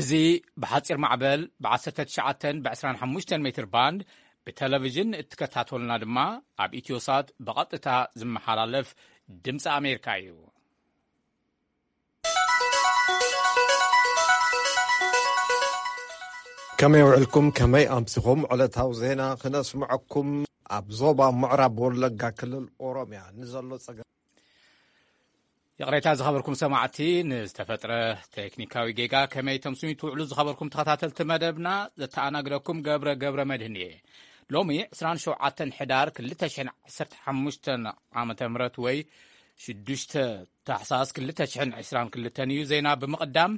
እዚ ብሓጺር ማዕበል ብ19 ብ25 ሜትር ባንድ ብቴሌቪዥን እትከታተሉና ድማ ኣብ ኢትዮሳት ብቐጥታ ዝመሓላለፍ ድምፂ ኣሜሪካ እዩ። ከመይ ውዕልኩም? ከመይ ኣምሲኹም? ዕለታዊ ዜና ክነስምዐኩም። ኣብ ዞባ ምዕራብ ወለጋ ክልል ኦሮምያ ንዘሎ ጸገም ይቕሬታ ዝኸበርኩም ሰማዕቲ፣ ንዝተፈጥረ ቴክኒካዊ ጌጋ ከመይ ተምስዩ ትውዕሉ ዝኸበርኩም ተኸታተልቲ መደብና፣ ዘተኣናግደኩም ገብረ ገብረ መድህን እየ። ሎሚ 27 ሕዳር 2015 ዓመተ ምህረት ወይ 6 ታሕሳስ 2022 እዩ። ዜና ብምቕዳም፣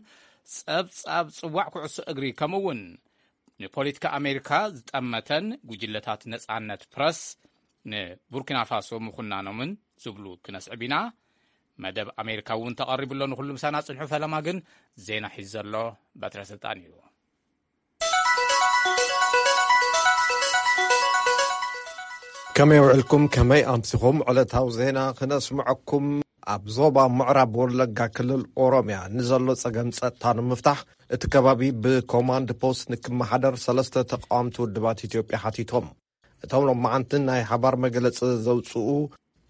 ጸብጻብ ጽዋዕ ኩዕሶ እግሪ ከምኡ እውን ንፖለቲካ ኣሜሪካ ዝጠመተን ጉጅለታት ነጻነት ፕረስ ንቡርኪና ፋሶ ምኹናኖምን ዝብሉ ክነስዕብ ኢና። መደብ ኣሜሪካ እውን ተቐሪቡ ኣሎ። ንኹሉ ምሳና ጽንሑ። ፈለማ ግን ዜና ሒዙ ዘሎ በትረ ስልጣን እዩ። ከመይ ውዕልኩም? ከመይ ኣምሲኹም? ዕለታዊ ዜና ክነስምዐኩም። ኣብ ዞባ ምዕራብ ወለጋ ክልል ኦሮምያ ንዘሎ ጸገም ጸጥታ ንምፍታሕ እቲ ከባቢ ብኮማንድ ፖስት ንክመሓደር ሰለስተ ተቃወምቲ ውድባት ኢትዮጵያ ሓቲቶም። እቶም ሎማዓንቲ ናይ ሓባር መግለጺ ዘውጽኡ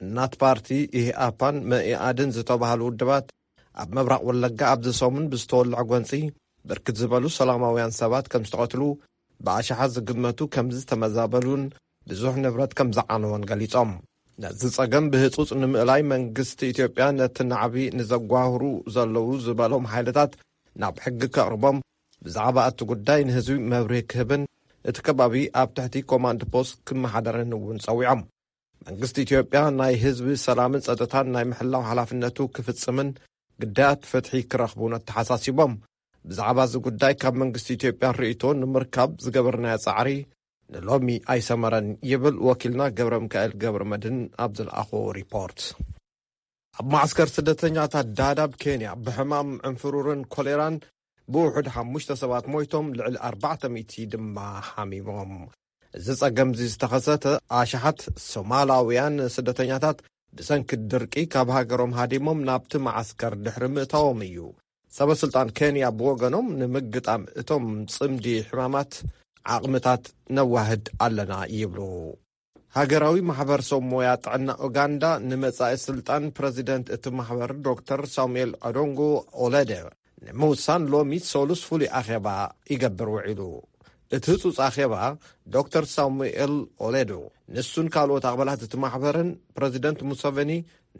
እናት ፓርቲ፣ ኢህኣፓን መኢኣድን ዝተባህሉ ውድባት ኣብ ምብራቕ ወለጋ ኣብዚ ሰሙን ብዝተወልዐ ጎንጺ ብርክት ዝበሉ ሰላማውያን ሰባት ከም ዝተቐትሉ፣ ብኣሽሓት ዝግመቱ ከም ዝተመዛበሉን ብዙሕ ንብረት ከም ዝዓነወን ገሊጾም። ነዚ ጸገም ብህጹጽ ንምእላይ መንግስቲ ኢትዮጵያ ነቲ ናዕቢ ንዘጓህሩ ዘለዉ ዝበሎም ሓይልታት ናብ ሕጊ ከቕርቦም፣ ብዛዕባ እቲ ጉዳይ ንህዝቢ መብርሂ ክህብን እቲ ከባቢ ኣብ ትሕቲ ኮማንድ ፖስት ክመሓደርን እውን ጸዊዖም። መንግስቲ ኢትዮጵያ ናይ ህዝቢ ሰላምን ጸጥታን ናይ ምሕላው ሓላፍነቱ ክፍጽምን ግዳያት ፍትሒ ክረኽቡን ኣተሓሳሲቦም። ብዛዕባ እዚ ጉዳይ ካብ መንግስቲ ኢትዮጵያ ርእይቶ ንምርካብ ዝገበርናዮ ጻዕሪ ንሎሚ ኣይሰመረን ይብል ወኪልና ገብረ ሚካኤል ገብረ መድህን ኣብ ዝለኣኾ ሪፖርት። ኣብ ማዕስከር ስደተኛታት ዳዳብ ኬንያ ብሕማም ዕንፍሩርን ኮሌራን ብውሑድ ሓሙሽተ ሰባት ሞይቶም፣ ልዕሊ ኣርባዕተ ሚእቲ ድማ ሓሚሞም። እዚ ጸገም እዚ ዝተኸሰተ ኣሽሓት ሶማላውያን ስደተኛታት ብሰንኪ ድርቂ ካብ ሃገሮም ሃዲሞም ናብቲ ማዓስከር ድሕሪ ምእታዎም እዩ። ሰበ ስልጣን ኬንያ ብወገኖም ንምግጣም እቶም ጽምዲ ሕማማት ዓቕምታት ነዋህድ ኣለና ይብሉ። ሃገራዊ ማሕበር ሰብ ሞያ ጥዕና ኡጋንዳ ንመጻኢ ስልጣን ፕረዚደንት እቲ ማሕበር ዶክተር ሳሙኤል ኣዶንጎ ኦለደ ንምውሳን ሎሚ ሰሉስ ፍሉይ ኣኼባ ይገብር ውዒሉ። እቲ ህጹጽ ኣኼባ ዶክተር ሳሙኤል ኦሌዶ ንሱን ካልኦት ኣባላት እቲ ማሕበርን ፕረዚደንት ሙሰቨኒ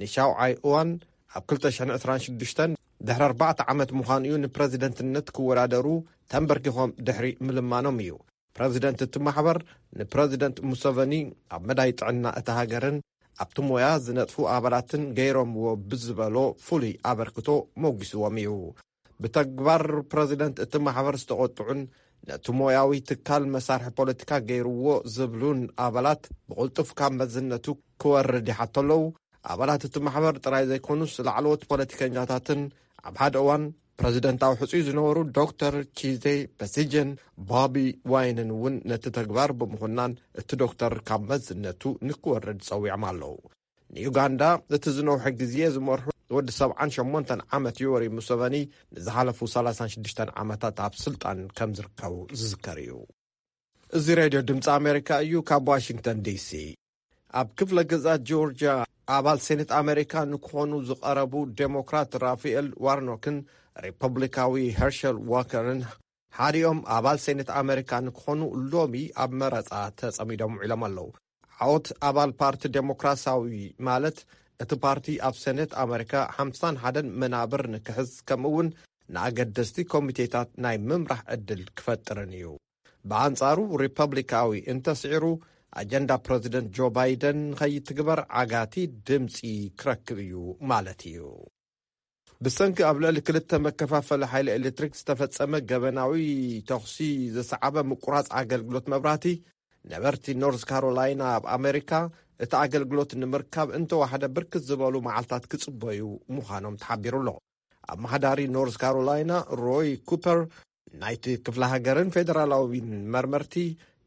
ንሻውዓይ እዋን ኣብ 2026 ድሕሪ ኣርባዕተ ዓመት ምዃኑ እዩ ንፕረዚደንትነት ክወዳደሩ ተንበርኪኾም ድሕሪ ምልማኖም እዩ። ፕረዚደንት እቲ ማሕበር ንፕረዚደንት ሙሰቨኒ ኣብ መዳይ ጥዕና እታ ሃገርን ኣብቲ ሞያ ዝነጥፉ ኣባላትን ገይሮምዎ ብዝበሎ ፍሉይ ኣበርክቶ ሞጒስዎም እዩ። ብተግባር ፕረዚደንት እቲ ማሕበር ዝተቖጥዑን ነቲ ሞያዊ ትካል መሳርሒ ፖለቲካ ገይርዎ ዝብሉን ኣባላት ብቕልጡፍ ካብ መዝነቱ ክወርድ ይሓቶ ኣለዉ። ኣባላት እቲ ማሕበር ጥራይ ዘይኮኑስ ላዕለዎት ፖለቲከኛታትን ኣብ ሓደ እዋን ፕረዚደንታዊ ሕጹይ ዝነበሩ ዶክተር ኪዜ በሲጀን ባቢ ዋይንን እውን ነቲ ተግባር ብምኹናን እቲ ዶክተር ካብ መዝነቱ ንክወርድ ጸዊዖም ኣለዉ። ንዩጋንዳ እቲ ዝነውሐ ግዜ ዝመርሑ ወዲ 78 ዓመት ዮወሪ ሙሰቨኒ ንዝሓለፉ 36 ዓመታት ኣብ ስልጣን ከም ዝርከቡ ዝዝከር እዩ። እዚ ሬድዮ ድምፂ ኣሜሪካ እዩ። ካብ ዋሽንግተን ዲሲ። ኣብ ክፍለ ግዛት ጆርጂያ ኣባል ሴኔት ኣሜሪካ ንክኾኑ ዝቐረቡ ዴሞክራት ራፋኤል ዋርኖክን ሪፐብሊካዊ ሄርሸል ዋከርን ሓዲኦም ኣባል ሴኔት ኣሜሪካ ንክኾኑ ሎሚ ኣብ መረፃ ተጸሚዶም ውዒሎም ኣለዉ። ዓወት ኣባል ፓርቲ ዴሞክራሲያዊ ማለት እቲ ፓርቲ ኣብ ሴኔት ኣሜሪካ ሓምሳን ሓደን መናብር ንክሕዝ ከምኡ እውን ንኣገደስቲ ኮሚቴታት ናይ ምምራሕ ዕድል ክፈጥርን እዩ። ብኣንጻሩ ሪፐብሊካዊ እንተስዒሩ ኣጀንዳ ፕረዚደንት ጆ ባይደን ንኸይትግበር ዓጋቲ ድምፂ ክረክብ እዩ ማለት እዩ። ብሰንኪ ኣብ ልዕሊ ክልተ መከፋፈሊ ሓይሊ ኤሌክትሪክ ዝተፈጸመ ገበናዊ ተኹሲ ዘሰዓበ ምቁራጽ ኣገልግሎት መብራህቲ ነበርቲ ኖርዝ ካሮላይና ኣብ ኣሜሪካ እቲ ኣገልግሎት ንምርካብ እንተዋሕደ ብርክት ዝበሉ መዓልታት ክጽበዩ ምዃኖም ተሓቢሩ ኣሎ። ኣመሓዳሪ ኖርዝ ካሮላይና ሮይ ኩፐር ናይቲ ክፍለ ሃገርን ፌደራላዊን መርመርቲ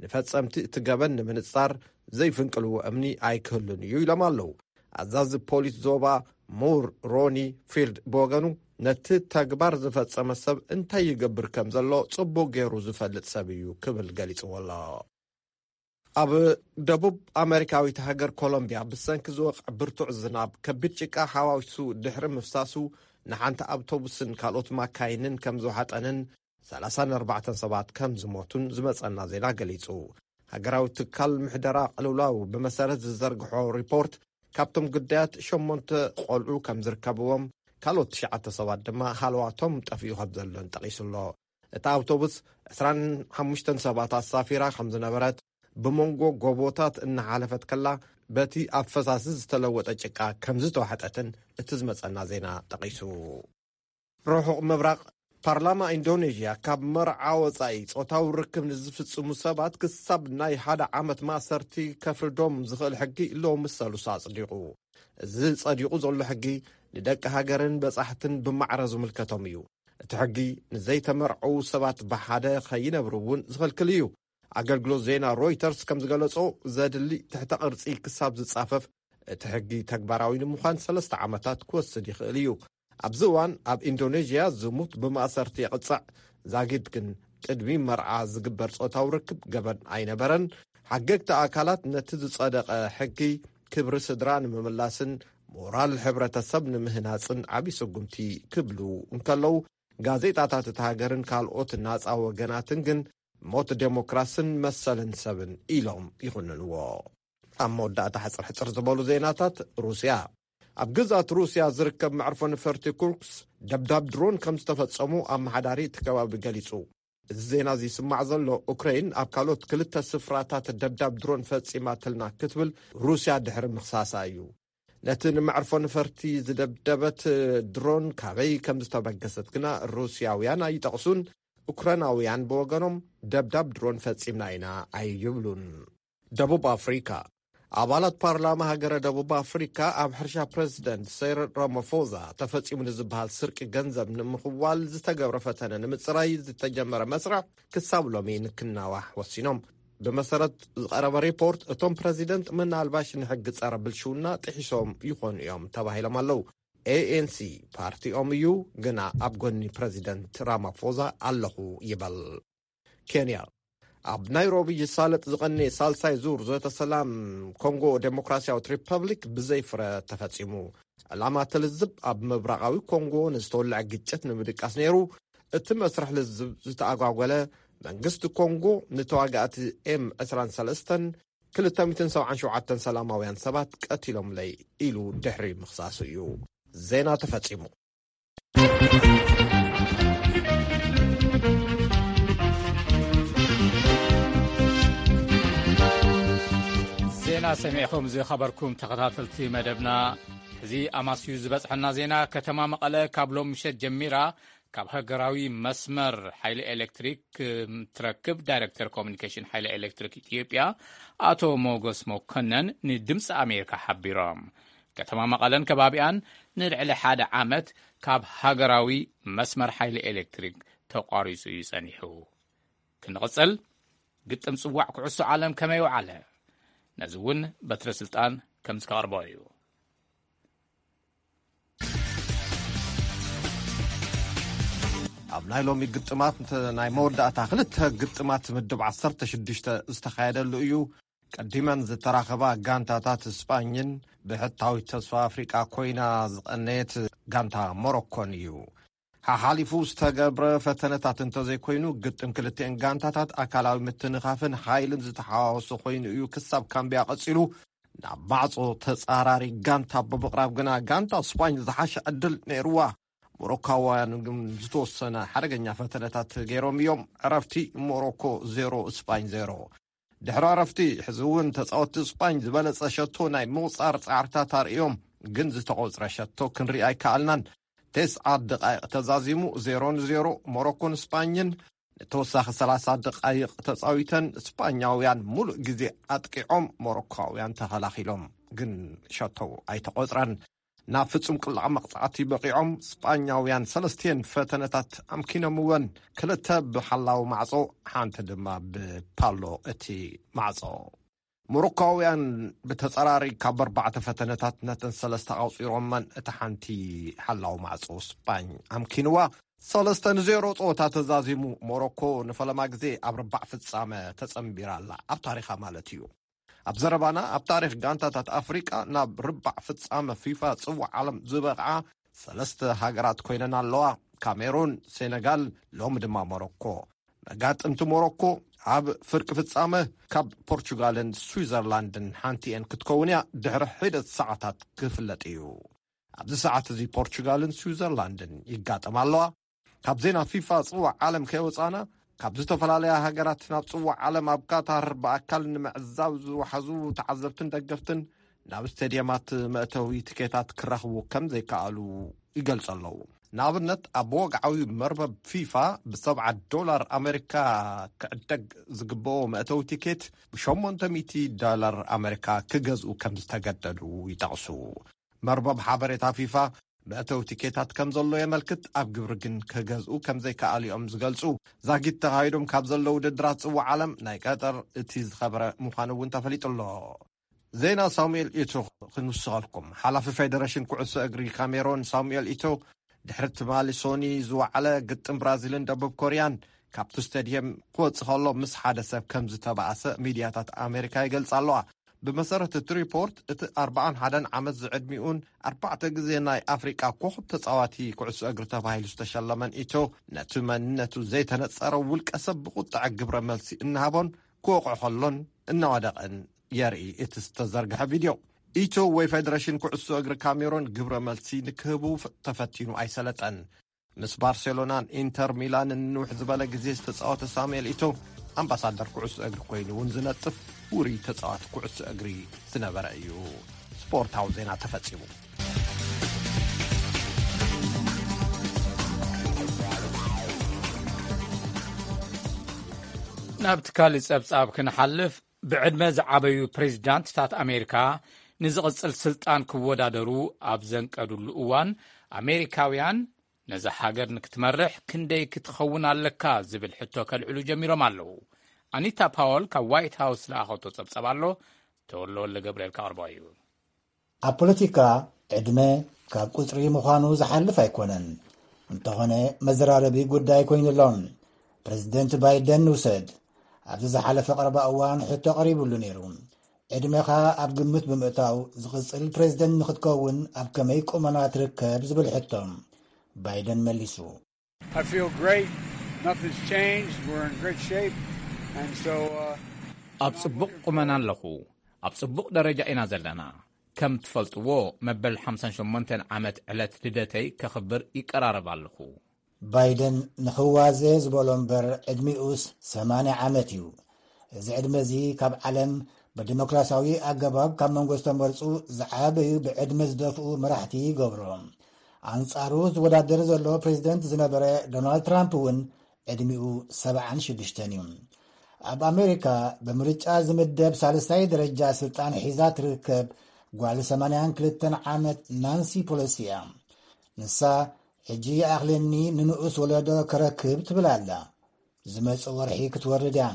ንፈጸምቲ እቲ ገበን ንምንጻር ዘይፍንቅልዎ እምኒ ኣይክህሉን እዩ ኢሎም ኣለዉ። ኣዛዚ ፖሊስ ዞባ ሙር ሮኒ ፊልድ ብወገኑ ነቲ ተግባር ዝፈጸመ ሰብ እንታይ ይገብር ከም ዘሎ ጽቡቕ ገይሩ ዝፈልጥ ሰብ እዩ ክብል ገሊጽዎ ኣሎ። ኣብ ደቡብ ኣመሪካዊት ሃገር ኮሎምቢያ ብሰንኪ ዝወቕዕ ብርቱዕ ዝናብ ከቢድ ጭቃ ሓዋዊሱ ድሕሪ ምፍሳሱ ንሓንቲ ኣውቶቡስን ካልኦት ማካይንን ከም ዝወሓጠንን ሰላሳን ኣርባዕተን ሰባት ከም ዝሞቱን ዝመጸና ዜና ገሊጹ። ሃገራዊ ትካል ምሕደራ ቅልውላው ብመሰረት ዝዘርግሖ ሪፖርት ካብቶም ግዳያት ሸሞንተ ቆልዑ ከም ዝርከብዎም ካልኦት ትሽዓተ ሰባት ድማ ሃለዋቶም ጠፊኡ ከም ዘሎን ጠቒሱ ኣሎ። እታ ኣውቶቡስ ዕስራን ሓሙሽተን ሰባት ኣሳፊራ ከም ዝነበረት ብመንጎ ጎቦታት እናሓለፈት ከላ በቲ ኣብ ፈሳሲ ዝተለወጠ ጭቃ ከም ዝተዋሕጠትን እቲ ዝመጸና ዜና ጠቒሱ። ርሑቕ ምብራቕ ፓርላማ ኢንዶኔዥያ ካብ መርዓ ወጻኢ ጾታዊ ርክብ ንዝፍጽሙ ሰባት ክሳብ ናይ ሓደ ዓመት ማእሰርቲ ከፍርዶም ዝኽእል ሕጊ ሎሚ ሰሉስ ኣጽዲቑ። እዚ ጸዲቑ ዘሎ ሕጊ ንደቂ ሃገርን በጻሕትን ብማዕረ ዝምልከቶም እዩ። እቲ ሕጊ ንዘይተመርዐዉ ሰባት ብሓደ ከይነብሩ እውን ዝኽልክል እዩ። ኣገልግሎት ዜና ሮይተርስ ከም ዝገለጾ፣ ዘድሊ ትሕተ ቅርጺ ክሳብ ዝጻፈፍ እቲ ሕጊ ተግባራዊ ንምዃን ሰለስተ ዓመታት ክወስድ ይኽእል እዩ። ኣብዚ እዋን ኣብ ኢንዶኔዥያ ዝሙት ብማእሰርቲ የቕጽዕ። ዛጊድ ግን ቅድሚ መርዓ ዝግበር ጾታዊ ርክብ ገበን ኣይነበረን። ሓገግቲ ኣካላት ነቲ ዝጸደቐ ሕጊ ክብሪ ስድራ ንምምላስን ሞራል ሕብረተሰብ ንምህናጽን ዓቢ ስጉምቲ ክብሉ እንከለዉ፣ ጋዜጣታት እታ ሃገርን ካልኦት ናጻ ወገናትን ግን ሞት ዴሞክራስን መሰልን ሰብን ኢሎም ይኹንንዎ። ኣብ መወዳእታ ሕጽር ሕጽር ዝበሉ ዜናታት ሩስያ። ኣብ ግዛት ሩስያ ዝርከብ መዕርፎ ነፈርቲ ኩርክስ ደብዳብ ድሮን ከም ዝተፈጸሙ ኣመሓዳሪ እቲ ከባቢ ገሊጹ። እዚ ዜና እዚ ይስማዕ ዘሎ ኡክረይን ኣብ ካልኦት ክልተ ስፍራታት ደብዳብ ድሮን ፈጺማትልና ክትብል ሩስያ ድሕሪ ምኽሳሳ እዩ። ነቲ ንመዕርፎ ነፈርቲ ዝደብደበት ድሮን ካበይ ከም ዝተበገሰት ግና ሩስያውያን ኣይጠቕሱን። ኡክራናውያን ብወገኖም ደብዳብ ድሮን ፈጺምና ኢና ኣይብሉን። ደቡብ ኣፍሪካ። ኣባላት ፓርላማ ሃገረ ደቡብ ኣፍሪካ ኣብ ሕርሻ ፕረዚደንት ሰይረል ራማፎዛ ተፈጺሙ ንዝበሃል ስርቂ ገንዘብ ንምኽዋል ዝተገብረ ፈተነ ንምጽራይ ዝተጀመረ መስርሕ ክሳብ ሎሚ ንክናዋሕ ወሲኖም። ብመሰረት ዝቐረበ ሪፖርት፣ እቶም ፕረዚደንት ምናልባሽ ንሕጊ ጸረ ብልሽውና ጥሒሶም ይኾኑ እዮም ተባሂሎም ኣለዉ። ኤኤንሲ ፓርቲኦም እዩ፣ ግና ኣብ ጎኒ ፕረዚደንት ራማፎዛ ኣለኹ ይበል። ኬንያ። ኣብ ናይሮቢ ይሳለጥ ዝቐነየ ሳልሳይ ዙር ዘተ ሰላም ኮንጎ ዴሞክራሲያዊት ሪፐብሊክ ብዘይ ፍረ ተፈጺሙ። ዕላማ እቲ ልዝብ ኣብ ምብራቓዊ ኮንጎ ንዝተወልዐ ግጭት ንምድቃስ ነይሩ። እቲ መስርሕ ልዝብ ዝተኣጓጎለ፣ መንግስቲ ኮንጎ ንተዋጋእቲ ኤም ዕስራን ሰለስተን ክልተ ሚእትን ሰብዓን ሸውዓተን ሰላማውያን ሰባት ቀቲሎምለይ ኢሉ ድሕሪ ምኽሳሱ እዩ። ዜና ተፈጺሙ። ዜና ሰሚዕኹም ዝኸበርኩም ተኸታተልቲ መደብና፣ እዚ ኣማስዩ ዝበጽሐና ዜና፣ ከተማ መቐለ ካብ ሎም ምሸት ጀሚራ ካብ ሃገራዊ መስመር ሓይሊ ኤሌክትሪክ ትረክብ። ዳይሬክተር ኮሙኒኬሽን ሓይሊ ኤሌክትሪክ ኢትዮጵያ ኣቶ ሞጎስ መኮነን ንድምፂ ኣሜሪካ ሓቢሮም። ከተማ መቐለን ከባቢኣን ንልዕሊ ሓደ ዓመት ካብ ሃገራዊ መስመር ሓይሊ ኤሌክትሪክ ተቋሪጹ እዩ ጸኒሑ። ክንቕጽል፣ ግጥም ጽዋዕ ኩዕሶ ዓለም ከመይ ወዓለ? ነዚ እውን በትረ ስልጣን ከም ዝከቕርቦ እዩ። ኣብ ናይ ሎሚ ግጥማት፣ ናይ መወዳእታ ክልተ ግጥማት ምድብ ዓሰርተ ሽዱሽተ ዝተኻየደሉ እዩ። ቀዲመን ዝተራኸባ ጋንታታት ስጳኝን ብሕታዊት ተስፋ ኣፍሪቃ ኮይና ዝቐነየት ጋንታ ሞሮኮን እዩ። ሓሓሊፉ ዝተገብረ ፈተነታት እንተዘይኮይኑ፣ ግጥም ክልቲኤን ጋንታታት ኣካላዊ ምትንኻፍን ሓይልን ዝተሓዋወሰ ኮይኑ እዩ ክሳብ ካምቢያ ቀጺሉ። ናብ ማዕጾ ተጻራሪ ጋንታ ብምቕራብ ግና ጋንታ ስጳኝ ዝሓሸ ዕድል ነይርዋ። ሞሮካውያን ግን ዝተወሰነ ሓደገኛ ፈተነታት ገይሮም እዮም። ዕረፍቲ ሞሮኮ ዜሮ፣ ስጳኝ ዜሮ። ድሕሪ ዕረፍቲ፣ ሕዚ እውን ተጻወትቲ ስጳኝ ዝበለጸ ሸቶ ናይ ምቑጻር ጻዕርታት ኣርእዮም፣ ግን ዝተቖጽረ ሸቶ ክንርኢ ኣይከኣልናን። ተስዓ ደቓይቕ ተዛዚሙ፣ ዜሮ ንዜሮ። ሞሮኮን ስጳኝን ንተወሳኺ ሰላሳ ደቓይቕ ተጻዊተን፣ ስጳኛውያን ሙሉእ ግዜ ኣጥቂዖም፣ ሞሮኮውያን ተኸላኺሎም፣ ግን ሸቶ ኣይተቖጽረን። ናብ ፍጹም ቅላዕ መቕጻዕቲ በቒዖም፣ ስጳኛውያን ሰለስቲኤን ፈተነታት ኣምኪኖምወን፣ ክልተ ብሓላው ማዕጾ፣ ሓንቲ ድማ ብፓሎ እቲ ማዕጾ። ሞሮኮውያን ብተጸራሪ ካብ ኣርባዕተ ፈተነታት ነተን ሰለስተ ኣቑጺሮመን፣ እታ ሓንቲ ሓላው ማዕጾ ስጳኝ ኣምኪንዋ። ሰለስተ ንዜሮ ጸወታ ተዛዚሙ፣ ሞሮኮ ንፈለማ ግዜ ኣብ ርባዕ ፍጻመ ተጸንቢራ ኣላ፣ ኣብ ታሪኻ ማለት እዩ። ኣብ ዘረባና፣ ኣብ ታሪኽ ጋንታታት ኣፍሪቃ ናብ ርባዕ ፍጻመ ፊፋ ጽዋዕ ዓለም ዝበቕዓ ሰለስተ ሃገራት ኮይነን ኣለዋ፣ ካሜሩን፣ ሴነጋል፣ ሎሚ ድማ ሞሮኮ። መጋጥምቲ ሞሮኮ ኣብ ፍርቂ ፍጻመ ካብ ፖርቹጋልን ስዊዘርላንድን ሓንቲ እየን ክትከውን እያ፣ ድሕሪ ሒደት ሰዓታት ክፍለጥ እዩ። ኣብዚ ሰዓት እዚ ፖርቹጋልን ስዊዘርላንድን ይጋጠማ ኣለዋ። ካብ ዜና ፊፋ ጽዋዕ ዓለም ከይወጻና፣ ካብ ዝተፈላለያ ሃገራት ናብ ጽዋዕ ዓለም ኣብ ካታር ብኣካል ንምዕዛብ ዝወሓዙ ተዓዘብትን ደገፍትን ናብ ስቴድየማት መእተዊ ትኬታት ክረኽቡ ከም ዘይከኣሉ ይገልጹ ኣለዉ። ንኣብነት፣ ኣብ ወግዓዊ መርበብ ፊፋ ብሰብዓ ዶላር ኣሜሪካ ክዕደግ ዝግብኦ መእተዊ ቲኬት ብ800 ዶላር ኣሜሪካ ክገዝኡ ከም ዝተገደዱ ይጠቕሱ። መርበብ ሓበሬታ ፊፋ መእተዊ ቲኬታት ከም ዘሎ የመልክት፣ ኣብ ግብሪ ግን ክገዝኡ ከም ዘይከኣሉ እዮም ዝገልጹ። ዛጊት ተኻይዶም ካብ ዘለዉ ውድድራት ጽዋዕ ዓለም ናይ ቀጠር እቲ ዝኸበረ ምዃኑ እውን ተፈሊጡ ኣሎ። ዜና ሳሙኤል ኢቶ ክንውስኸልኩም። ሓላፊ ፌደሬሽን ኩዕሶ እግሪ ካሜሮን ሳሙኤል ኢቶ ድሕሪ ትማሊ ሶኒ ዝወዓለ ግጥም ብራዚልን ደቡብ ኮርያን ካብቲ ስቴድየም ክወጽእ ከሎ ምስ ሓደ ሰብ ከም ዝተባእሰ ሚድያታት ኣሜሪካ ይገልጻ ኣለዋ። ብመሰረት እቲ ሪፖርት፣ እቲ ኣርባዓን ሓደን ዓመት ዝዕድሚኡን ኣርባዕተ ግዜ ናይ ኣፍሪቃ ኮኸብ ተጻዋቲ ኩዕሶ እግሪ ተባሂሉ ዝተሸለመን ኢቶ፣ ነቲ መንነቱ ዘይተነጸረ ውልቀ ሰብ ብቁጥዐ ግብረ መልሲ እናሃቦን ክወቕዖ ከሎን እናወደቐን የርኢ እቲ ዝተዘርግሐ ቪድዮ። ኢቶ ወይ ፌደሬሽን ኩዕሶ እግሪ ካሜሮን ግብረ መልሲ ንክህቡ ፍ-፣ ተፈቲኑ ኣይሰለጠን። ምስ ባርሴሎናን ኢንተር ሚላንን ንውሕ ዝበለ ግዜ ዝተጻወተ ሳሙኤል ኢቶ፣ ኣምባሳደር ኩዕሶ እግሪ ኮይኑ እውን ዝነጥፍ ውሩይ ተጻዋቲ ኩዕሶ እግሪ ዝነበረ እዩ። ስፖርታዊ ዜና ተፈጺሙ። ናብቲ ካልእ ጸብጻብ ክንሓልፍ፣ ብዕድመ ዝዓበዩ ፕሬዚዳንትታት ኣሜሪካ ንዝቕጽል ስልጣን ክወዳደሩ ኣብ ዘንቀዱሉ እዋን፣ ኣሜሪካውያን ነዛ ሃገር ንክትመርሕ ክንደይ ክትኸውን ኣለካ ዝብል ሕቶ ከልዕሉ ጀሚሮም ኣለዉ። ኣኒታ ፓወል ካብ ዋይት ሃውስ ዝለኣኸቶ ጸብጻብ ኣሎ፣ ተወልደ ወልደ ገብርኤል ከቕርቦ እዩ። ኣብ ፖለቲካ፣ ዕድመ ካብ ቁጽሪ ምዃኑ ዝሓልፍ ኣይኮነን። እንተኾነ፣ መዘራረቢ ጉዳይ ኮይኑ ኣሎ። ፕሬዚደንት ባይደን ንውሰድ። ኣብዚ ዝሓለፈ ቀረባ እዋን ሕቶ ቀሪቡሉ ነይሩ። ዕድመኻ ኣብ ግምት ብምእታው፣ ዝቕጽል ፕሬዚደንት ንኽትከውን ኣብ ከመይ ቁመና ትርከብ ዝብል ሕቶ። ባይደን መሊሱ። I feel great. Nothing's changed. We're in great shape. And so, uh, ኣብ ጽቡቕ ቁመና ኣለኹ። ኣብ ጽቡቕ ደረጃ ኢና ዘለና። ከም ትፈልጥዎ፣ መበል ሓምሳን ሸሞንተን ዓመት ዕለት ልደተይ ከኽብር ይቀራረብ ኣለኹ። ባይደን ንኽዋዘ ዝበሎ እምበር፣ ዕድሚኡስ ሰማንያ ዓመት እዩ። እዚ ዕድመ እዚ ካብ ዓለም ብዲሞክራሲያዊ ኣገባብ ካብ መንጎ ዝተመርጹ ዝዓበዩ ብዕድመ ዝደፍኡ መራሕቲ ይገብሮ። ኣንጻሩ ዝወዳደር ዘሎ ፕሬዚደንት ዝነበረ ዶናልድ ትራምፕ እውን ዕድሚኡ ሰብዓን ሽዱሽተን እዩ። ኣብ ኣሜሪካ ብምርጫ ዝምደብ ሳልሳይ ደረጃ ስልጣን ሒዛ ትርከብ ጓል ሰማንያን ክልተን ዓመት ናንሲ ፖሎሲ እያ። ንሳ፣ "ሕጂ ይኣኽለኒ ንንኡስ ወለዶ ከረክብ" ትብል ኣላ። ዝመጽእ ወርሒ ክትወርድ እያ።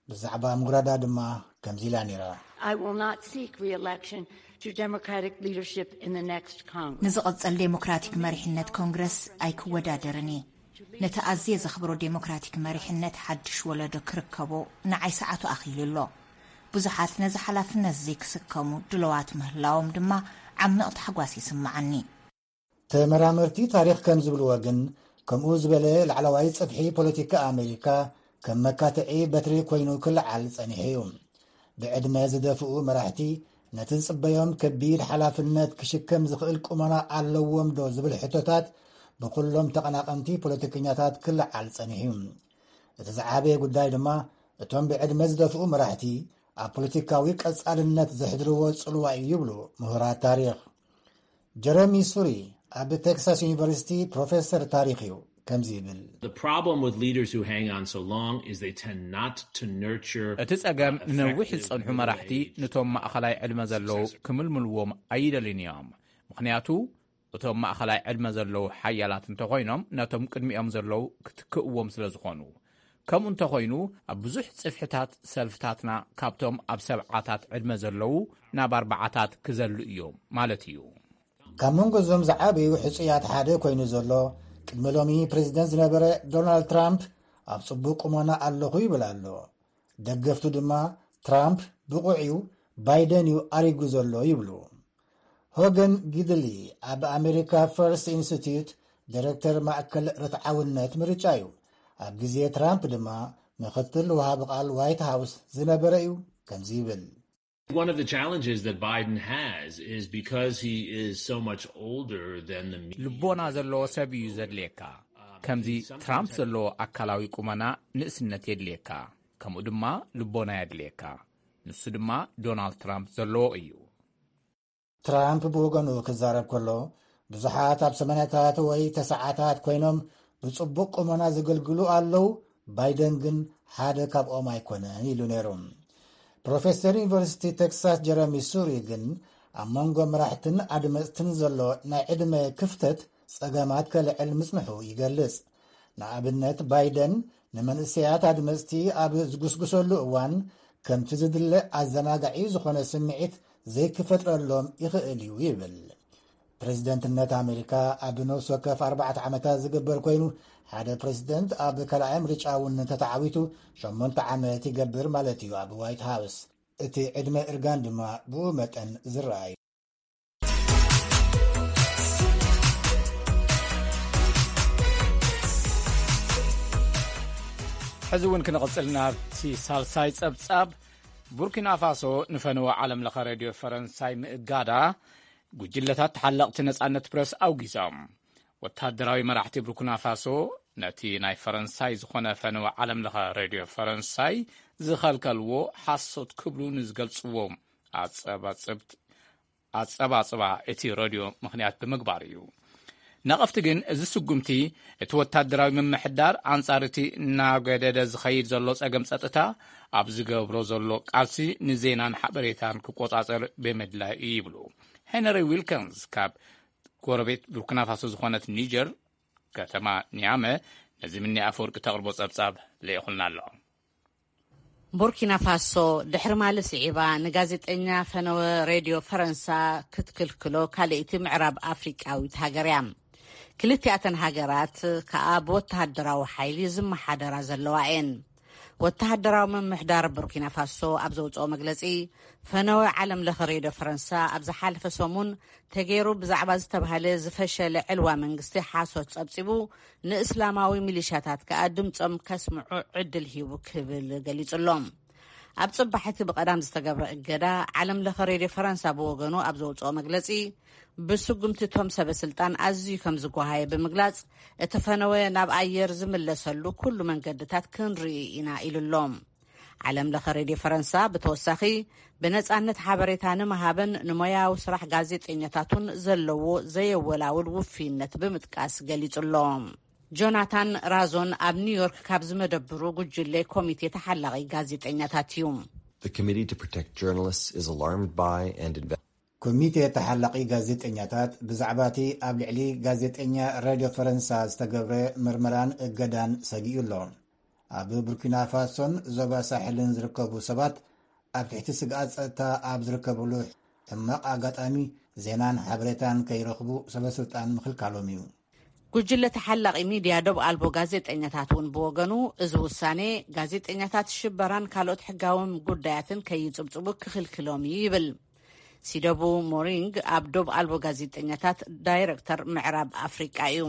ብዛዕባ ምውራዳ ድማ ከምዚ ኢላ ነይራ። I will not seek re-election to Democratic leadership in the next Congress. ንዝቐጸል ዴሞክራቲክ መሪሕነት ኮንግረስ ኣይክወዳደርን እየ። ነቲ ኣዝየ ዘኽብሮ ዴሞክራቲክ መሪሕነት ሓድሽ ወለዶ ክርከቦ ንዓይ ሰዓቱ ኣኺሉ ኣሎ። ብዙሓት ነዚ ሓላፍነት እዚ ክስከሙ ድለዋት ምህላዎም ድማ ዓሚቕ ታሕጓስ ይስምዓኒ። ተመራመርቲ ታሪኽ ከም ዝብልዎ ግን፣ ከምኡ ዝበለ ላዕለዋይ ጽፍሒ ፖለቲካ ኣሜሪካ ከም መካትዒ በትሪ ኮይኑ ክለዓል ጸኒሑ እዩ። ብዕድመ ዝደፍኡ መራሕቲ ነቲ ዝጽበዮም ከቢድ ሓላፍነት ክሽከም ዝኽእል ቁመና ኣለዎም ዶ ዝብል ሕቶታት ብኩሎም ተቐናቐንቲ ፖለቲከኛታት ክለዓል ጸኒሑ እዩ። እቲ ዝዓበየ ጉዳይ ድማ፣ እቶም ብዕድመ ዝደፍኡ መራሕቲ ኣብ ፖለቲካዊ ቀጻልነት ዘሕድርዎ ጽልዋ እዩ ይብሉ ምሁራት ታሪኽ። ጀረሚ ሱሪ ኣብ ቴክሳስ ዩኒቨርሲቲ ፕሮፌሰር ታሪኽ እዩ። ከምዚ ይብል። The problem with leaders who hang on so long is they tend not to nurture, እቲ ጸገም፣ uh, ንነዊሕ effective ዝጸንሑ መራሕቲ middle-aged ነቶም ማእኸላይ ዕድመ ዘለዉ successors። ክምልምልዎም ኣይደልዩን እዮም። ምኽንያቱ፣ እቶም ማእኸላይ ዕድመ ዘለዉ ሓያላት እንተኾይኖም፣ ነቶም ቅድሚኦም ዘለዉ ክትክእዎም ስለ ዝኾኑ። ከምኡ እንተኾይኑ፣ ኣብ ብዙሕ ጽፍሕታት ሰልፍታትና ካብቶም ኣብ ሰብዓታት ዕድመ ዘለዉ ናብ ኣርባዓታት ክዘሉ እዮም ማለት እዩ። ካብ መንጎ እዞም ዝዓበዩ ሕጹያት ሓደ ኮይኑ ዘሎ፣ ቅድሚ ሎሚ ፕሬዚደንት ዝነበረ ዶናልድ ትራምፕ ኣብ ጽቡቕ ቁመና ኣለኹ ይብል ኣሎ። ደገፍቱ ድማ፣ ትራምፕ ብቑዕ እዩ፣ ባይደን እዩ ኣሪጉ ዘሎ ይብሉ። ሆገን ጊድሊ ኣብ ኣሜሪካ ፈርስት ኢንስቲትዩት ዳይሬክተር ማእከል ርትዓውነት ምርጫ እዩ። ኣብ ግዜ ትራምፕ ድማ ምኽትል ወሃቢ ቃል ዋይት ሃውስ ዝነበረ እዩ። ከምዚ ይብል። One of the challenges that Biden has is because he is so much older than the mean. ልቦና ዘለዎ ሰብ እዩ ዘድልየካ። ከምዚ ትራምፕ ዘለዎ ኣካላዊ ቁመና ንእስነት የድልየካ፣ ከምኡ ድማ ልቦና የድልየካ። ንሱ ድማ ዶናልድ ትራምፕ ዘለዎ እዩ። ትራምፕ ብወገኑ ክዛረብ ከሎ፣ ብዙሓት ኣብ ሰማንያታት ወይ ተስዓታት ኮይኖም ብጽቡቕ ቁመና ዘገልግሉ ኣለዉ፣ ባይደን ግን ሓደ ካብኦም ኣይኮነን ኢሉ ነይሩ። ፕሮፌሰር ዩኒቨርሲቲ ቴክሳስ ጀረሚ ሱሪ ግን፣ ኣብ መንጎ መራሕትን ኣድመፅትን ዘሎ ናይ ዕድመ ክፍተት ጸገማት ከልዕል ምጽንሑ ይገልጽ። ንኣብነት፣ ባይደን ንመንእሰያት ኣድመፅቲ ኣብ ዝጉስጉሰሉ እዋን፣ ከምቲ ዝድለ ኣዘናጋዒ ዝኾነ ስምዒት ዘይክፈጥረሎም ይኽእል እዩ ይብል። ፕሬዚደንትነት ኣሜሪካ ኣብ ነፍሲ ወከፍ ኣርባዕተ ዓመታት ዝግበር ኮይኑ፣ ሓደ ፕሬዚደንት ኣብ ካልኣይ ምርጫ እውን እንተተዓዊቱ ሸሞንተ ዓመት ይገብር ማለት እዩ ኣብ ዋይት ሃውስ። እቲ ዕድመ እርጋን ድማ ብኡ መጠን ዝረኣዩ። ሕዚ እውን ክንቕጽል ናብቲ ሳልሳይ ጸብጻብ። ቡርኪና ፋሶ ንፈነወ ዓለም ለኸ ሬድዮ ፈረንሳይ ምእጋዳ ጉጅለታት ተሓለቕቲ ነጻነት ፕረስ ኣውጊዞም። ወታደራዊ መራሕቲ ቡርኪና ፋሶ ነቲ ናይ ፈረንሳይ ዝኾነ ፈነወ ዓለም ለኸ ሬድዮ ፈረንሳይ ዝኸልከልዎ ሓሶት ክብሉ ንዝገልጽዎ ኣጸባጽብት ኣጸባጽባ እቲ ረድዮ ምኽንያት ብምግባር እዩ። ነቐፍቲ ግን፣ እዚ ስጉምቲ እቲ ወታደራዊ ምምሕዳር ኣንጻር እቲ እናገደደ ዝኸይድ ዘሎ ጸገም ጸጥታ ኣብ ዝገብሮ ዘሎ ቃልሲ ንዜናን ሓበሬታን ክቆጻጸር ብምድላይ እዩ ይብሉ። ሄነሪ ዊልከንስ ካብ ጎረቤት ቡርኪናፋሶ ዝኾነት ኒጀር ከተማ ኒያመ ነዚ ምኒ ኣፈወርቂ ተቕርቦ ጸብጻብ ልኢኹልና ኣሎ። ቡርኪና ፋሶ ድሕሪ ማሊ ስዒባ ንጋዜጠኛ ፈነወ ሬድዮ ፈረንሳ ክትክልክሎ ካልእቲ ምዕራብ ኣፍሪቃዊት ሃገር እያ። ክልቲኣተን ሃገራት ከኣ ብወተሃደራዊ ሓይሊ ዝመሓደራ ዘለዋ እየን። ወተሃደራዊ ምምሕዳር ቡርኪና ፋሶ ኣብ ዘውፅኦ መግለፂ፣ ፈነወ ዓለም ለኸ ሬድዮ ፈረንሳ ኣብ ዝሓለፈ ሰሙን ተገይሩ ብዛዕባ ዝተባህለ ዝፈሸለ ዕልዋ መንግስቲ ሓሶት ጸብጺቡ፣ ንእስላማዊ ሚሊሻታት ከኣ ድምጾም ከስምዑ ዕድል ሂቡ ክብል ገሊጹ ኣሎ። ኣብ ጽባሕ እቲ ብቐዳም ዝተገብረ እገዳ፣ ዓለም ለኸ ሬድዮ ፈረንሳ ብወገኑ ኣብ ዘውጽኦ መግለጺ፣ ብስጉምቲ እቶም ሰበ ስልጣን ኣዝዩ ከም ዝጓሃየ ብምግላጽ፣ እቲ ፈነወ ናብ ኣየር ዝምለሰሉ ኩሉ መንገድታት ክንርኢ ኢና ኢሉ ኣሎ። ዓለም ለኸ ሬድዮ ፈረንሳ ብተወሳኺ ብነጻነት ሓበሬታ ንምሃብን ንሞያዊ ስራሕ ጋዜጠኛታቱን ዘለዎ ዘየወላውል ውፍይነት ብምጥቃስ ገሊጹ ኣሎ። ጆናታን ራዞን ኣብ ኒውዮርክ ካብ ዝመደብሩ ጉጅለ ኮሚቴ ተሓላቒ ጋዜጠኛታት እዩ። The Committee to Protect Journalists is alarmed by and inve- ኮሚቴ ተሓላቒ ጋዜጠኛታት ብዛዕባ እቲ ኣብ ልዕሊ ጋዜጠኛ ሬድዮ ፈረንሳ ዝተገብረ ምርመራን እገዳን ሰጊኡ ኣሎ። ኣብ ቡርኪና ፋሶን ዞባ ሳሕልን ዝርከቡ ሰባት ኣብ ትሕቲ ስግኣት ጸጥታ ኣብ ዝርከብሉ ሕማቕ ኣጋጣሚ ዜናን ሓበሬታን ከይረኽቡ ሰበ ስልጣን ምኽልካሎም እዩ። ጉጅለ ተሓላቒ ሚድያ ዶብ ኣልቦ ጋዜጠኛታት እውን ብወገኑ፣ እዚ ውሳኔ ጋዜጠኛታት ሽበራን ካልኦት ሕጋዎም ጉዳያትን ከይጽብጽቡ ክኽልክሎም እዩ ይብል። ሲደቡ ሞሪንግ ኣብ ዶብ ኣልቦ ጋዜጠኛታት ዳይረክተር ምዕራብ ኣፍሪቃ እዩ።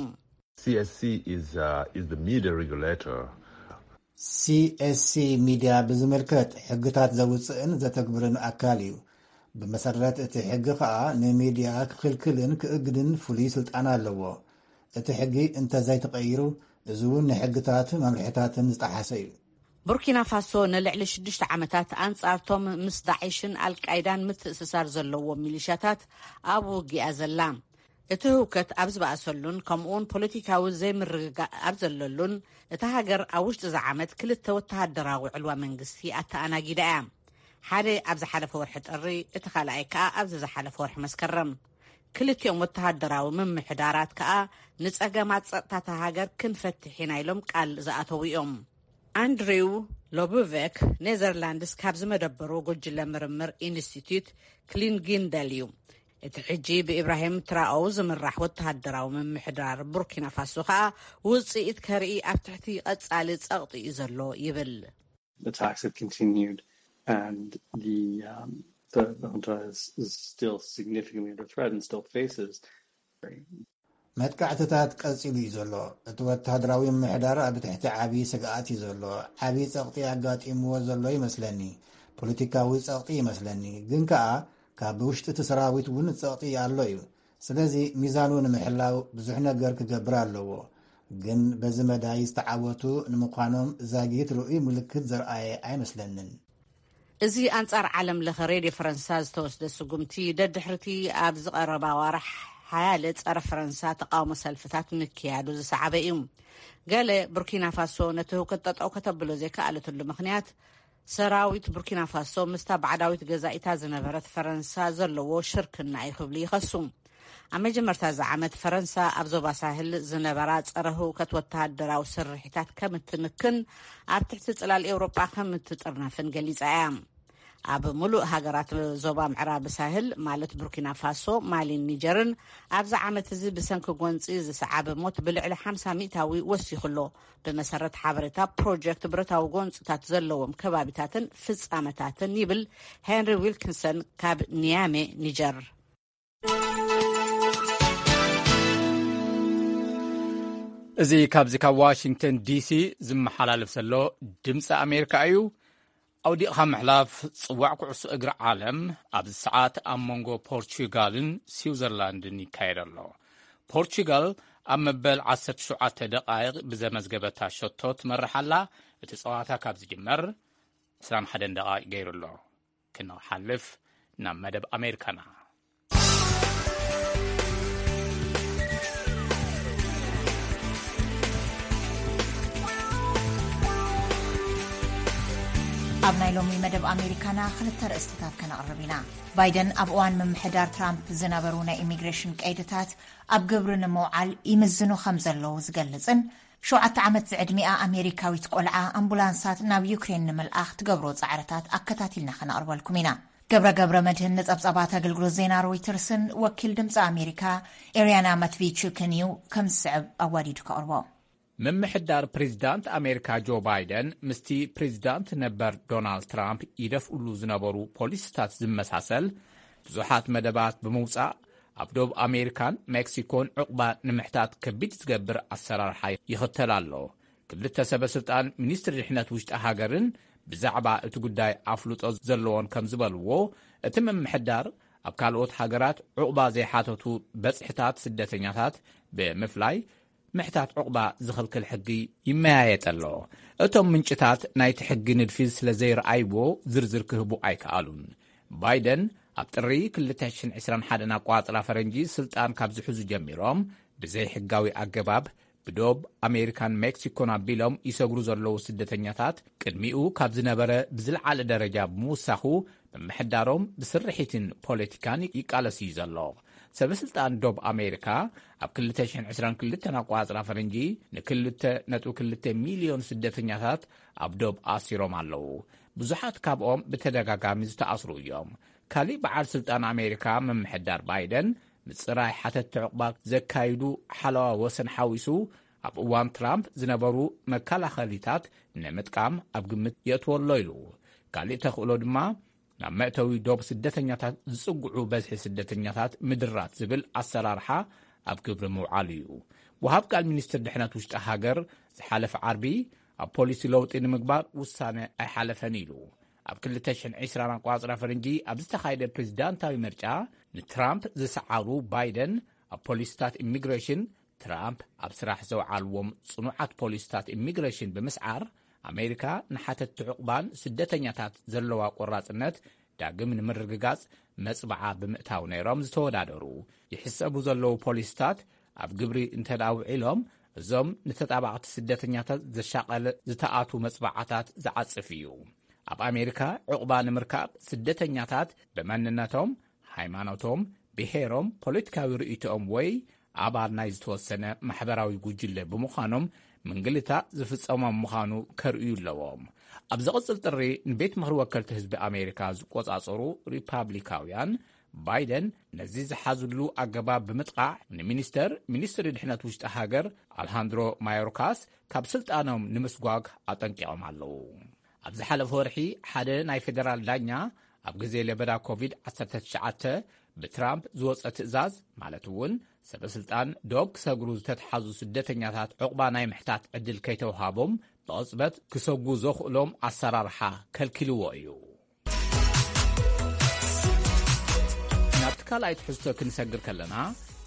C S C is, uh, is the media regulator. C S C ሚድያ ብዝምልከት ሕግታት ዘውፅእን ዘተግብርን ኣካል እዩ። ብመሰረት እቲ ሕጊ ከኣ ንሚድያ ክኽልክልን ክእግድን ፍሉይ ስልጣን ኣለዎ። እቲ ሕጊ እንተዘይተቐይሩ፣ እዚ እውን ንሕግታት መምርሕታትን ዝጠሓሰ እዩ። ቡርኪና ፋሶ ንልዕሊ ሽዱሽተ ዓመታት ኣንጻርቶም ምስ ዳዒሽን ኣልቃይዳን ምትእስሳር ዘለዎም ሚሊሻታት ኣብ ውግእ እያ ዘላ። እቲ ህውከት ኣብ ዝበኣሰሉን ከምኡውን ፖለቲካዊ ዘይምርግጋእ ኣብ ዘለሉን፣ እታ ሃገር ኣብ ውሽጢ እዚ ዓመት ክልተ ወተሃደራዊ ዕልዋ መንግስቲ ኣተኣናጊዳ እያ። ሓደ ኣብ ዝሓለፈ ወርሒ ጥሪ፣ እቲ ካልኣይ ከኣ ኣብዚ ዝሓለፈ ወርሒ መስከረም። ክልቲኦም ወተሃደራዊ ምምሕዳራት ከኣ ንጸገማት ጸጥታ እታ ሃገር ክንፈትሕ ኢና ኢሎም ቃል ዝኣተዉ እዮም። ኣንድሪው ሎቡቬክ ኔዘርላንድስ ካብ ዝመደበሩ ጉጅለ ምርምር ኢንስቲትዩት ክሊንጊንደል እዩ። እቲ ሕጂ ብኢብራሂም ትራኦው ዝምራሕ ወተሃደራዊ ምምሕዳር ቡርኪና ፋሶ ከኣ ውጽኢት ከርኢ ኣብ ትሕቲ ቀጻሊ ጸቕጢ እዩ ዘሎ ይብል። Attacks have continued and the, um, the, the junta is, is still significantly under threat and still faces መጥቃዕትታት ቀጺሉ እዩ ዘሎ። እቲ ወተሃደራዊ ምምሕዳር ኣብ ትሕቲ ዓቢ ስግኣት እዩ ዘሎ። ዓቢ ጸቕጢ ኣጋጢምዎ ዘሎ ይመስለኒ። ፖለቲካዊ ጸቕጢ ይመስለኒ። ግን ከኣ ካብ ውሽጢ እቲ ሰራዊት እውን ጸቕጢ ኣሎ እዩ። ስለዚ ሚዛኑ ንምሕላው ብዙሕ ነገር ክገብር ኣለዎ። ግን በዚ መዳይ ዝተዓወቱ ንምዃኖም ዛጊት ርኡይ ምልክት ዘርኣየ ኣይመስለንን። እዚ ኣንጻር ዓለም ለኸ ሬድዮ ፈረንሳ ዝተወስደ ስጉምቲ ደድሕርቲ ኣብ ዝቐረባ ዋራሕ ሓያለ ጸረ ፈረንሳ ተቃውሞ ሰልፍታት ምክያዱ ዝሰዓበ እዩ። ገለ ቡርኪና ፋሶ ነቲ ህውከት ጠጠው ከተብሎ ዘይከኣለትሉ ምኽንያት ሰራዊት ቡርኪና ፋሶ ምስታ ባዕዳዊት ገዛኢታ ዝነበረት ፈረንሳ ዘለዎ ሽርክና እዩ ክብሉ ይኸሱ። ኣብ መጀመርታ እዚ ዓመት ፈረንሳ ኣብ ዞባ ሳህል ዝነበራ ጸረ ህውከት ወተሃደራዊ ስርሒታት ከም እትምክን ኣብ ትሕቲ ጽላል ኤውሮጳ ከም እትጥርነፍን ገሊጻ እያ። ኣብ ሙሉእ ሃገራት ዞባ ምዕራብ ሳህል ማለት ቡርኪና ፋሶ፣ ማሊን ኒጀርን ኣብዚ ዓመት እዚ ብሰንኪ ጎንጺ ዝሰዓበ ሞት ብልዕሊ ሓምሳ ሚእታዊ ወሲኹ ኣሎ። ብመሰረት ሓበሬታ ፕሮጀክት ብረታዊ ጎንጽታት ዘለዎም ከባቢታትን ፍጻመታትን ይብል ሄንሪ ዊልኪንሰን ካብ ኒያሜ ኒጀር። እዚ ካብዚ ካብ ዋሽንግተን ዲሲ ዝመሓላለፍ ዘሎ ድምፂ ኣሜሪካ እዩ። ኣውዲቕካ ምሕላፍ ጽዋዕ ኩዕሶ እግሪ ዓለም ኣብዚ ሰዓት ኣብ መንጎ ፖርቹጋልን ስዊዘርላንድን ይካየድ ኣሎ። ፖርቹጋል ኣብ መበል ዓሰርተ ሸውዓተ ደቓይቕ ብዘመዝገበታ ሸቶ ትመርሕ ኣላ። እቲ ጸዋታ ካብ ዝጅመር ዕስራን ሓደን ደቓይቕ ገይሩ ኣሎ። ክንሓልፍ ናብ መደብ ኣሜሪካና። ኣብ ናይ ሎሚ መደብ ኣሜሪካና ክልተ ርእስትታት ከነቕርብ ኢና። ባይደን ኣብ እዋን ምምሕዳር ትራምፕ ዝነበሩ ናይ ኢሚግሬሽን ቀይድታት ኣብ ግብሪ ንምውዓል ይምዝኑ ከም ዘለዉ ዝገልጽን ሸውዓተ ዓመት ዝዕድሚኣ ኣሜሪካዊት ቆልዓ ኣምቡላንሳት ናብ ዩክሬን ንምልኣኽ ትገብሮ ጻዕርታት ኣከታቲልና ከነቕርበልኩም ኢና። ገብረ ገብረ መድህን ንጸብጻባት ኣገልግሎት ዜና ሮይተርስን ወኪል ድምፂ ኣሜሪካ ኤርያና ማትቪቹክን እዩ ከም ዝስዕብ ኣዋዲዱ ከቕርቦ። ምምሕዳር ፕሬዚዳንት ኣሜሪካ ጆ ባይደን ምስቲ ፕሬዚዳንት ነበር ዶናልድ ትራምፕ ይደፍእሉ ዝነበሩ ፖሊሲታት ዝመሳሰል ብዙሓት መደባት ብምውፃእ ኣብ ዶብ ኣሜሪካን ሜክሲኮን ዕቑባ ንምሕታት ከቢድ ዝገብር ኣሰራርሓ ይኽተል ኣሎ። ክልተ ሰበ ስልጣን ሚኒስትሪ ድሕነት ውሽጢ ሃገርን ብዛዕባ እቲ ጉዳይ ኣፍልጦ ዘለዎን ከም ዝበልዎ፣ እቲ ምምሕዳር ኣብ ካልኦት ሃገራት ዕቑባ ዘይሓተቱ በፅሕታት ስደተኛታት ብምፍላይ ምሕታት ዕቑባ ዝኽልክል ሕጊ ይመያየጥ ኣሎ። እቶም ምንጭታት ናይቲ ሕጊ ንድፊ ስለ ዘይረኣይዎ ዝርዝር ክህቡ ኣይከኣሉን። ባይደን ኣብ ጥሪ ክልተ ሽሕን ዕስራን ሓደን ኣቋጽራ ፈረንጂ ስልጣን ካብ ዝሕዙ ጀሚሮም ብዘይ ሕጋዊ ኣገባብ ብዶብ ኣሜሪካን ሜክሲኮን ኣቢሎም ይሰግሩ ዘለዉ ስደተኛታት ቅድሚኡ ካብ ዝነበረ ብዝለዓለ ደረጃ ብምውሳኹ ምምሕዳሮም ብስርሒትን ፖለቲካን ይቃለስ እዩ ዘሎ። ሰበስልጣን ዶብ ኣሜሪካ ኣብ ክልተ ሽሕን ዕስራን ክልተን ኣቋጽራ ፈረንጂ ንክልተ ነጥቢ ክልተ ሚልዮን ስደተኛታት ኣብ ዶብ ኣሲሮም ኣለዉ። ብዙሓት ካብኦም ብተደጋጋሚ ዝተኣስሩ እዮም። ካሊእ በዓል ስልጣን ኣሜሪካ ምምሕዳር ባይደን ምጽራይ ሓተትቲ ዕቑባ ዘካይዱ ሓለዋ ወሰን ሓዊሱ ኣብ እዋን ትራምፕ ዝነበሩ መከላኸሊታት ንምጥቃም ኣብ ግምት የእትወሎ ኢሉ። ካሊእ ተኽእሎ ድማ ናብ መእተዊ ዶብ ስደተኛታት ዝጽግዑ በዝሒ ስደተኛታት ምድራት ዝብል ኣሰራርሓ ኣብ ግብሪ ምውዓሉ እዩ። ወሃብ ቃል ሚኒስትር ድሕነት ውሽጢ ሃገር ዝሓለፈ ዓርቢ ኣብ ፖሊሲ ለውጢ ንምግባር ውሳነ ኣይሓለፈን ኢሉ። ኣብ ክልተ ሽሕን ዕስራን ኣቋጽራ ፈረንጂ ኣብ ዝተኻየደ ፕሬዚዳንታዊ ምርጫ ንትራምፕ ዝሰዓሩ ባይደን ኣብ ፖሊሲታት ኢሚግሬሽን ትራምፕ ኣብ ስራሕ ዘውዓልዎም ጽኑዓት ፖሊሲታት ኢሚግሬሽን ብምስዓር ኣሜሪካ ንሓተትቲ ዕቑባን ስደተኛታት ዘለዋ ቆራጽነት ዳግም ንምርግጋጽ መጽብዓ ብምእታው ነይሮም ዝተወዳደሩ። ይሕሰቡ ዘለዉ ፖሊሲታት ኣብ ግብሪ እንተ ደኣ ውዒሎም እዞም ንተጣባቕቲ ስደተኛታት ዘሻቐለ ዝተኣቱ መጽብዓታት ዝዓጽፍ እዩ። ኣብ ኣሜሪካ ዕቑባ ንምርካብ ስደተኛታት ብመንነቶም፣ ሃይማኖቶም፣ ብሄሮም፣ ፖለቲካዊ ርእይቶኦም ወይ ኣባል ናይ ዝተወሰነ ማሕበራዊ ጉጅለ ብምዃኖም ምንግልታእ ዝፍጸሞም ምዃኑ ከርእዩ ኣለዎም። ኣብ ዝቕጽል ጥሪ ንቤት ምኽሪ ወከልቲ ህዝቢ ኣሜሪካ ዝቆጻጸሩ ሪፓብሊካውያን፣ ባይደን ነዚ ዝሓዝሉ ኣገባብ ብምጥቓዕ፣ ንሚኒስተር ሚኒስትሪ ድሕነት ውሽጢ ሃገር ኣልሃንድሮ ማዮርካስ ካብ ስልጣኖም ንምስጓግ ኣጠንቂቖም ኣለዉ። ኣብ ዝሓለፈ ወርሒ፣ ሓደ ናይ ፌደራል ዳኛ ኣብ ግዜ ለበዳ ኮቪድ ዓሰርተ ትሽዓተ ብትራምፕ ዝወጸ ትእዛዝ፣ ማለት እውን ሰበ ስልጣን ዶብ ክሰግሩ ዝተትሓዙ ስደተኛታት ዕቑባ ናይ ምሕታት ዕድል ከይተውሃቦም፣ ብቕጽበት ክሰጉ ዘኽእሎም ኣሰራርሓ ከልኪልዎ እዩ። ናብቲ ካልኣይ ትሕዝቶ ክንሰግር ከለና፣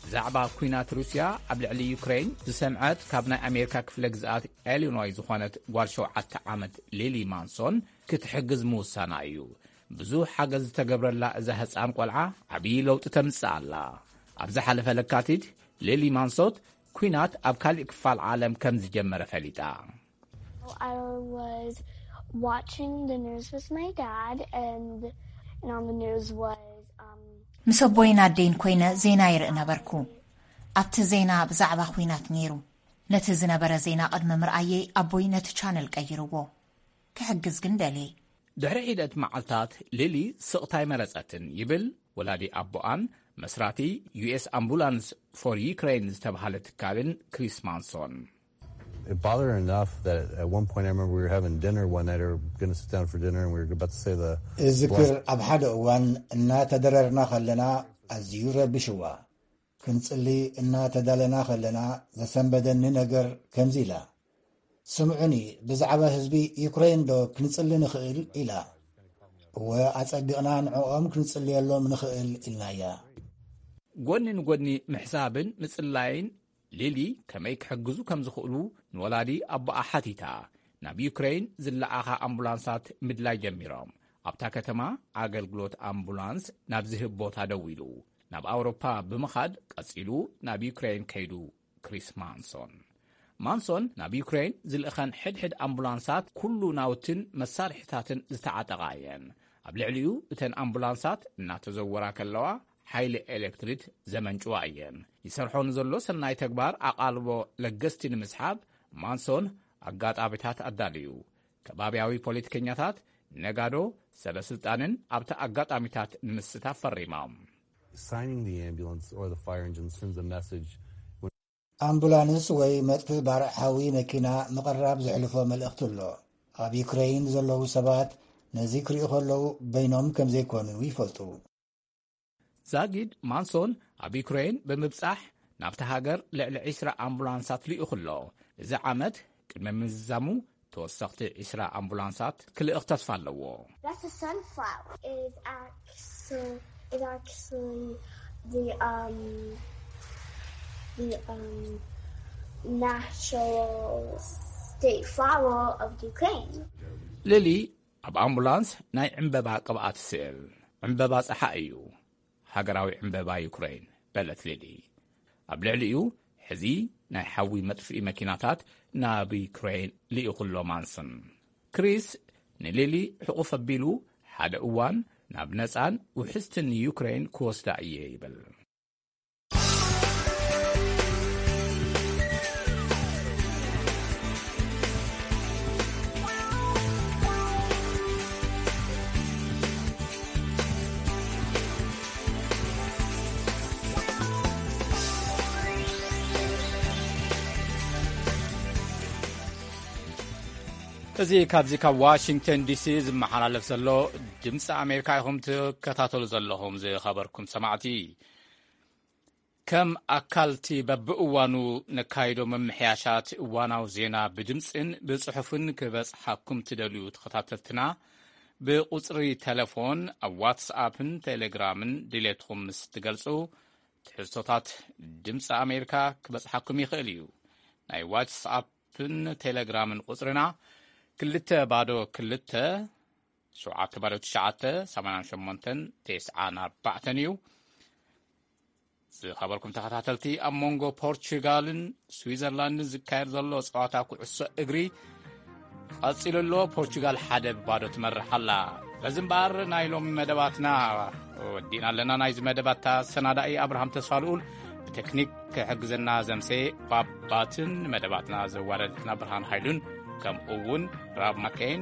ብዛዕባ ኲናት ሩስያ ኣብ ልዕሊ ዩክሬን ዝሰምዐት ካብ ናይ ኣሜሪካ ክፍለ ግዝኣት ኢሊኖይ ዝኾነት ጓል ሸውዓተ ዓመት ሊሊ ማንሶን ክትሕግዝ ምውሳና እዩ። ብዙሕ ሓገዝ ዝተገብረላ እዛ ህፃን ቆልዓ ዓብዪ ለውጢ ተምፅእ ኣላ። ኣብ ዝሓለፈ ለካቲት፣ ሊሊ ማንሶት ኲናት ኣብ ካሊእ ክፋል ዓለም ከም ዝጀመረ ፈሊጣ። I was watching the news with my dad, and, and on the news was um, ምስ ኣቦይን ኣደይን ኮይነ ዜና ይርኢ ነበርኩ። ኣብቲ ዜና ብዛዕባ ኲናት ነይሩ። ነቲ ዝነበረ ዜና ቅድሚ ምርኣየይ ኣቦይ ነቲ ቻነል ቀይርዎ። ክሕግዝ ግን ደልየ። ድሕሪ ሒደት መዓልታት፣ ሊሊ ስቕታ ኣይመረጸትን ይብል ወላዲ ኣቦኣን መስራቲ ዩ ኤስ ኣምቡላንስ ፎር ዩክሬን ዝተባህለ ትካልን ክሪስ ማንሶን። It bothered her enough that at one point I remember we were having dinner one night, or going to sit down for dinner, and we were about to say the እዝክር ኣብ ሓደ እዋን እናተደረርና ከለና ኣዝዩ ረቢሽዋ። ክንጽሊ እናተዳለና ከለና ዘሰንበደኒ ነገር ከምዚ ኢላ፣ ስምዑኒ፣ ብዛዕባ ህዝቢ ዩክሬን ዶ ክንጽሊ ንኽእል? ኢላ። እወ፣ ኣጸቢቕና ንዕኦም ክንጽልየሎም ንኽእል ኢልናያ። ጎኒ ንጎኒ ምሕሳብን ምጽላይን፣ ሊሊ ከመይ ክሕግዙ ከም ዝኽእሉ ንወላዲ ኣቦኣ ሓቲታ። ናብ ዩክሬን ዝለኣኻ ኣምቡላንሳት ምድላይ ጀሚሮም። ኣብታ ከተማ ኣገልግሎት ኣምቡላንስ ናብ ዝህብ ቦታ ደው ኢሉ፣ ናብ ኣውሮፓ ብምኻድ ቀጺሉ ናብ ዩክሬን ከይዱ። ክሪስ ማንሶን ማንሶን ናብ ዩክሬን ዝልእኸን ሕድሕድ ኣምቡላንሳት ኩሉ ናውትን መሳርሒታትን ዝተዓጠቓ እየን። ኣብ ልዕሊኡ እተን ኣምቡላንሳት እናተዘወራ ከለዋ ሓይሊ ኤሌክትሪክ ዘመንጭዋ እየን። ይሰርሖ ንዘሎ ሰናይ ተግባር ኣቓልቦ ለገስቲ ንምስሓብ ማንሶን ኣጋጣሚታት ኣዳልዩ። ከባብያዊ ፖለቲከኛታት፣ ነጋዶ፣ ሰበ ስልጣንን ኣብቲ ኣጋጣሚታት ንምስታፍ ፈሪሞም። Signing the ambulance or the fire engine sends a message. ኣምቡላንስ ወይ መጥፍእ ባርዕ ሓዊ መኪና ምቕራብ ዘሕልፎ መልእኽቲ ኣሎ። ኣብ ዩክሬን ዘለዉ ሰባት ነዚ ክሪኡ ከለዉ በይኖም ከም ዘይኮኑ ይፈልጡ። ዛጊድ ማንሶን ኣብ ዩክሬን ብምብጻሕ ናብቲ ሃገር ልዕሊ ዕስራ ኣምቡላንሳት ልኢኹ ኣሎ። እዚ ዓመት ቅድሚ ምዝዛሙ ተወሰኽቲ ዕስራ ኣምቡላንሳት ክልእኽ ተስፋ ኣለዎ። That's a sunflower. Is actually is actually the um the um national state flower of Ukraine. ሊሊ ኣብ ኣምቡላንስ ናይ ዕምበባ ቅብኣት ስእል። ዕምበባ ጸሓ እዩ። ሃገራዊ ዕምበባ ዩክሬን፣ በለት ሊሊ። ኣብ ልዕሊኡ ሕዚ ናይ ሓዊ መጥፍኢ መኪናታት ናብ ዩክሬን ልኢኹ ኣሎ ማንስን። ክሪስ ንሊሊ ሕቑፍ ኣቢሉ፣ ሓደ እዋን ናብ ነጻን ውሕስትን ዩክሬን ክወስዳ እየ ይብል። እዚ ካብዚ ካብ ዋሽንግተን ዲሲ ዝመሓላለፍ ዘሎ ድምፂ ኣሜሪካ ኢኹም ትከታተሉ ዘለኹም። ዝኸበርኩም ሰማዕቲ፣ ከም ኣካልቲ በብእዋኑ ነካይዶ መምሕያሻት እዋናዊ ዜና ብድምፅን ብፅሑፍን ክበፅሓኩም ትደልዩ ተኸታተልትና፣ ብቁፅሪ ቴሌፎን ኣብ ዋትስኣፕን ቴሌግራምን ድሌትኩም ምስ ትገልፁ፣ ትሕዝቶታት ድምፂ ኣሜሪካ ክበፅሓኩም ይኽእል እዩ። ናይ ዋትስኣፕን ቴሌግራምን ቁፅርና ክልተ ባዶ ክልተ ሸውዓተ ባዶ ትሽዓተ ሰማንያን ሸሞንተን ተስዓን ኣርባዕተን እዩ። ዝኸበርኩም ተኸታተልቲ፣ ኣብ መንጎ ፖርቹጋልን ስዊዘርላንድን ዝካየድ ዘሎ ጸዋታ ኩዕሶ እግሪ ቀጺሉ ኣሎ። ፖርቹጋል ሓደ ብባዶ ትመርሕ ኣላ። በዚ እምበኣር ናይ ሎሚ መደባትና ወዲእና ኣለና። ናይዚ መደባት ኣሰናዳኢ ኣብርሃም ተስፋልኡል፣ ብቴክኒክ ክሕግዘና ዘምሰ ባባትን መደባትና ዘዋዳደትና ብርሃን ሃይሉን ከምኡ እውን ራብ ማከይን